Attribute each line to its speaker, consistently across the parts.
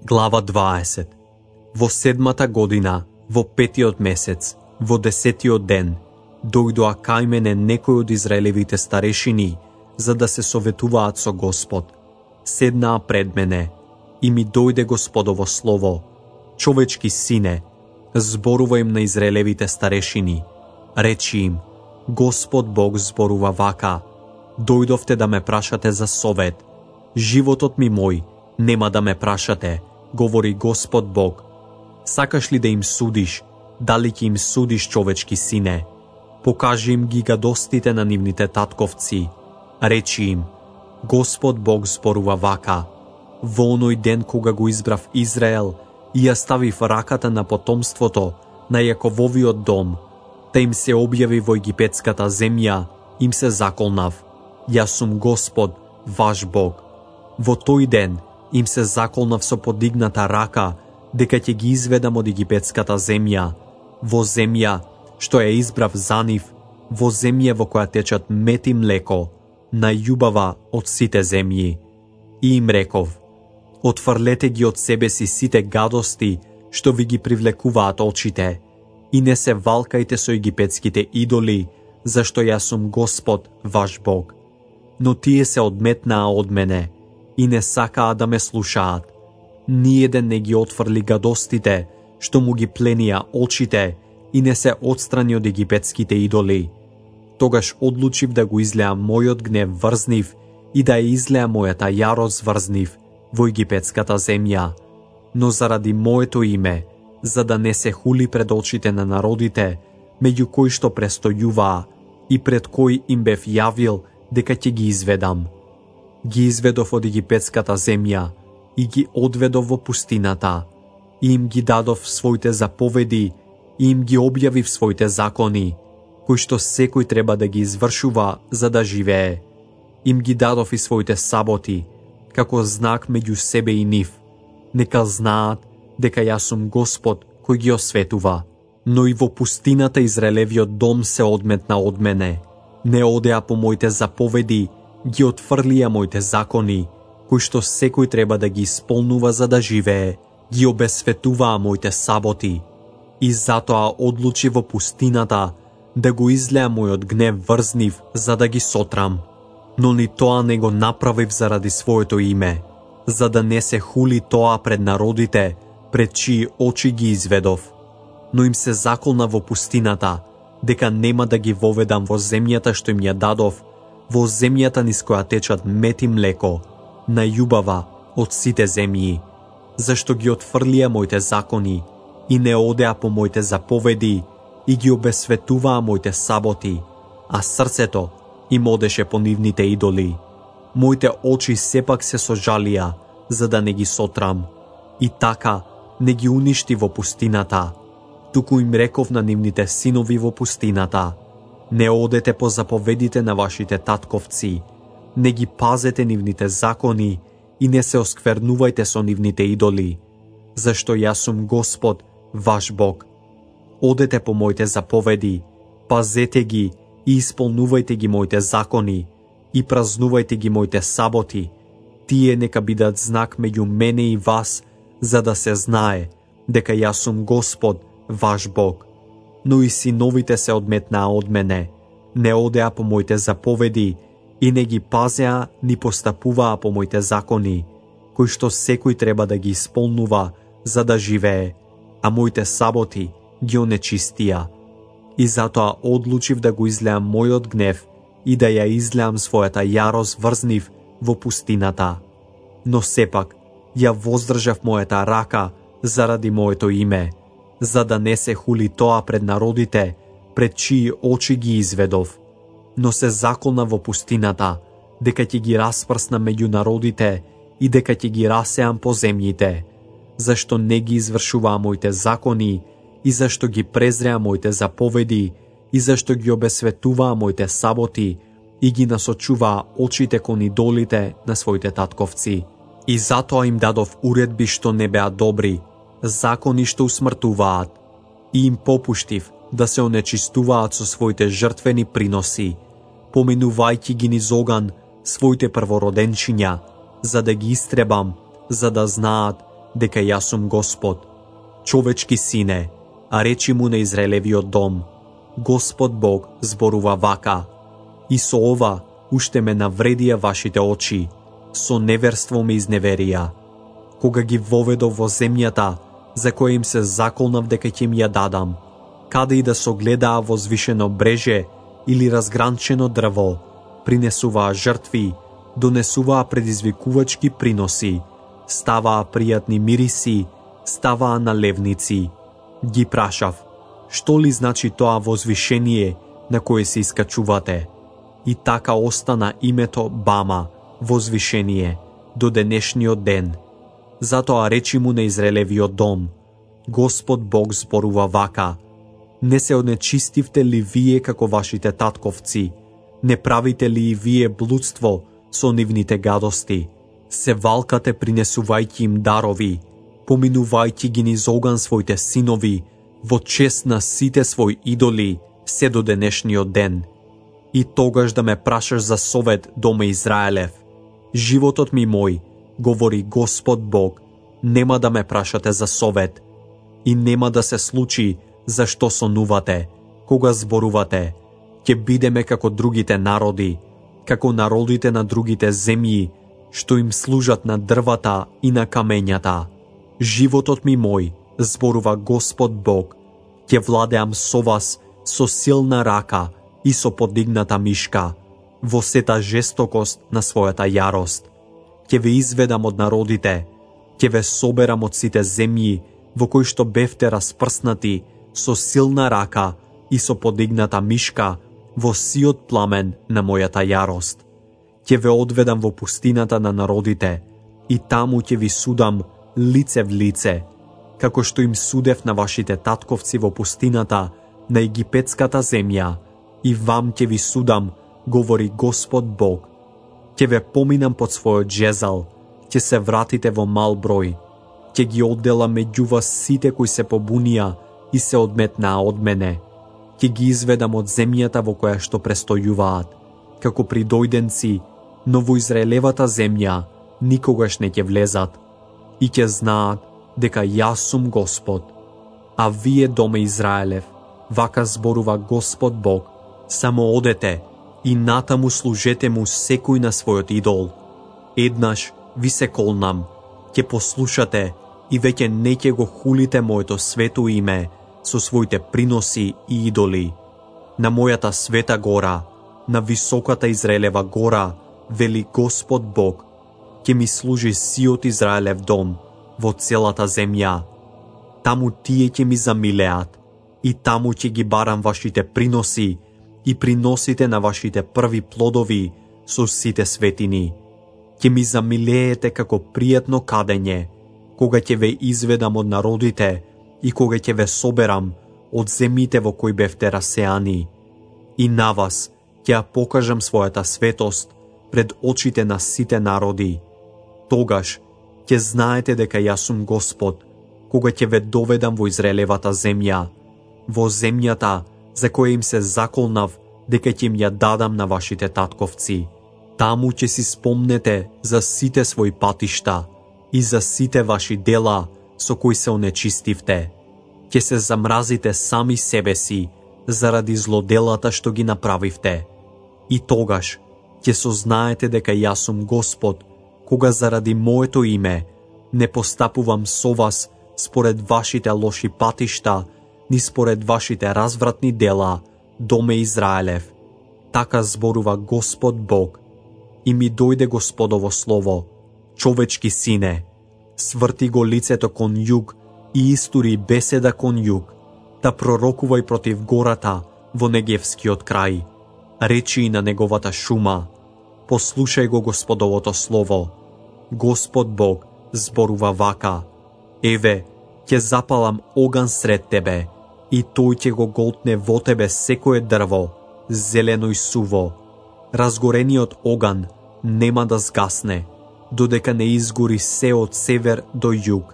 Speaker 1: Глава 20. Во 7-та година, во 5-тиот месец, во 10-тиот ден, дојдоа кај мене некои од израелевите старешини, за да се советуваат со Господ. Седнаа пред мене и ми дојде Господово слово: човечки сине, зборува им на израелевите старешини. Речи им: Господ Бог зборува вака: дојдовте да ме прашате за совет. Животот ми мој, нема да ме прашате, говори Господ Бог. Сакаш ли да им судиш? Дали ќе им судиш, човечки сине? Покажи им ги гадостите на нивните татковци. Речи им: Господ Бог зборува вака: во оној ден кога го избрав Израел и ја ставив раката на потомството на Јакововиот дом, да им се објави во египетската земја, им се заколнав: јас сум Господ, ваш Бог. Во тој ден им се заколнав со подигната рака дека ќе ги изведам од египетската земја, во земја што ја избрав за нив, во земја во која течат мед и млеко, најубава од сите земји. И им реков: отфрлете ги од себе си сите гадости што ви ги привлекуваат очите, и не се валкајте со египетските идоли, зашто јас сум Господ, ваш Бог. Но тие се одметнаа од мене и не сакаа да ме слушаат. Ниеден не ги отфрли гадостите што му ги пленија очите и не се отстрани од египетските идоли. Тогаш одлучив да го излеам мојот гнев врз нив и да ја излеа мојата јарост врз нив во египетската земја. Но заради моето име, за да не се хули пред очите на народите, меѓу кои што престојуваа и пред кои им бев јавил дека ќе ги изведам. Ги изведов од египетската земја и ги одведов во пустината, и им ги дадов своите заповеди и им ги објавив своите закони, кои што секој треба да ги извршува за да живее. Им ги дадов и своите саботи, како знак меѓу себе и нив. Нека знаат дека јас сум Господ кој ги осветува. Но и во пустината Израелевиот дом се одметна од мене. Не одеа по моите заповеди, ги отфрлија моите закони, кои што секој треба да ги исполнува за да живее, ги обесветуваа моите саботи. И затоа одлучи во пустината да го излеа мојот гнев врз нив за да ги сотрам. Но ни тоа не го направив заради своето име, за да не се хули тоа пред народите, пред чии очи ги изведов. Но им се заколна во пустината дека нема да ги воведам во земјата што им ја дадов, во земјата низ која течат мед и млеко, најубава од сите земји, зашто ги отфрлија моите закони и не одеа по моите заповеди и ги обесветуваа моите саботи, а срцето им одеше по нивните идоли. Моите очи сепак се сожалија за да не ги сотрам, и така не ги уништи во пустината, туку им реков на нивните синови во пустината: не одете по заповедите на вашите татковци, не ги пазете нивните закони и не се осквернувајте со нивните идоли, зашто јас сум Господ, ваш Бог. Одете по моите заповеди, пазете ги и исполнувајте ги моите закони и празнувајте ги моите саботи. Тие нека бидат знак меѓу мене и вас, за да се знае дека јас сум Господ, ваш Бог. Но и синовите се одметнаа од мене, не одеа по моите заповеди и не ги пазеа ни постапуваа по моите закони, кои што секој треба да ги исполнува за да живее, а моите саботи ги онечистија. И затоа одлучив да го излеам мојот гнев и да ја излеам својата јарост врз нив во пустината. Но сепак ја воздржав мојата рака заради моето име, за да не се хули тоа пред народите, пред чии очи ги изведов. Но се заколна во пустината дека ќе ги распрсна меѓу народите и дека ќе ги расеам по земјите, зашто не ги извршуваа моите закони и зашто ги презреа моите заповеди и зашто ги обесветуваа моите саботи и ги насочуваа очите кон идолите на своите татковци. И затоа им дадов уредби што не беа добри, закони што усмртуваат, и им попуштив да се онечистуваат со своите жртвени приноси, поминувајќи ги низ оган своите првороденчиња, за да ги истребам, за да знаат дека јас сум Господ. Човечки сине, а речи му на Израелевиот дом, Господ Бог зборува вака, и со ова уште ме навредија вашите очи, со неверство ме изневерија. Кога ги воведов во земјата, за која им се заколнав дека ќе им ја дадам, каде и да согледаа возвишено бреже или разгранчено дрво, принесуваа жртви, донесуваа предизвикувачки приноси, ставаа пријатни мириси, ставаа налевници. Ги прашав, што ли значи тоа возвишение на кое се искачувате? И така остана името Бама, возвишение, до денешниот ден. Затоа речи му на Израелевиот дом, Господ Бог зборува вака, не се онечистивте ли вие како вашите татковци? Не правите ли и вие блудство со нивните гадости? Се валкате принесувајќи им дарови, поминувајќи ги низ оган своите синови, во чест на сите своји идоли, се до денешниот ден. И тогаш да ме прашаш за совет, доме Израелев. Животот ми мој, говори Господ Бог, нема да ме прашате за совет. И нема да се случи зашто сонувате, кога зборувате, ќе бидеме како другите народи, како народите на другите земји, што им служат на дрвата и на камењата. Животот ми мој, зборува Господ Бог, ќе владеам со вас со силна рака и со подигната мишка, во сета жестокост на својата јарост. Ќе ве изведам од народите, ќе ве соберам од сите земји во кои што бевте распрснати со силна рака и со подигната мишка во сиот пламен на мојата јарост. Ќе ве одведам во пустината на народите и таму ќе ви судам лице в лице, како што им судев на вашите татковци во пустината на египетската земја, и вам ќе ви судам, говори Господ Бог. Ќе ве поминам под својот жезал, ќе се вратите во мал број, ќе ги одделам меѓу вас сите кои се побунија и се одметнаа од мене. Ќе ги изведам од земјата во која што престојуваат, како придојденци, но во Израелевата земја никогаш не ќе влезат, и ќе знаат дека јас сум Господ. А вие, доме Израелев, вака зборува Господ Бог, само одете и натаму служете му секој на својот идол. Еднаш ви се колнам, ќе послушате и веќе не ќе го хулите моето свето име со своите приноси и идоли. На мојата света гора, на високата Израелева гора, вели Господ Бог, ќе ми служи сиот Израелев дом во целата земја. Таму тие ќе ми замилеат и таму ќе ги барам вашите приноси и приносите на вашите први плодови со сите светини. Ќе ми замилеете како пријатно кадење, кога ќе ве изведам од народите и кога ќе ве соберам од земите во кои бевте расеани. И на вас ќе ја покажам својата светост пред очите на сите народи. Тогаш ќе знаете дека јас сум Господ, кога ќе ве доведам во Израелевата земја, во земјата за која им се заколнав дека ќе им ја дадам на вашите татковци. Таму ќе си спомнете за сите своји патишта и за сите ваши дела со кои се онечистивте. Ќе се замразите сами себе си заради злоделата што ги направивте. И тогаш ќе сознаете дека јас сум Господ, кога заради моето име не постапувам со вас според вашите лоши патишта, ни според вашите развратни дела, доме Израелев. Така зборува Господ Бог. И ми дојде Господово слово, човечки сине, сврти го лицето кон југ и истури беседа кон југ, да пророкувај против гората во Негевскиот крај. Речи и на неговата шума, послушај го Господовото слово. Господ Бог зборува вака, еве, ќе запалам оган сред тебе, и тој ќе го голтне во тебе секое дрво, зелено и суво. Разгорениот оган нема да згасне, додека не изгори се од север до југ.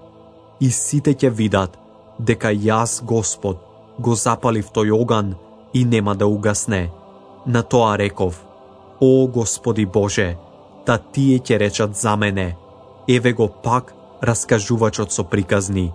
Speaker 1: И сите ќе видат дека јас, Господ, го запалив тој оган и нема да угасне. На тоа реков, о Господи Боже, та тие ќе речат за мене, еве го пак раскажувачот со приказни,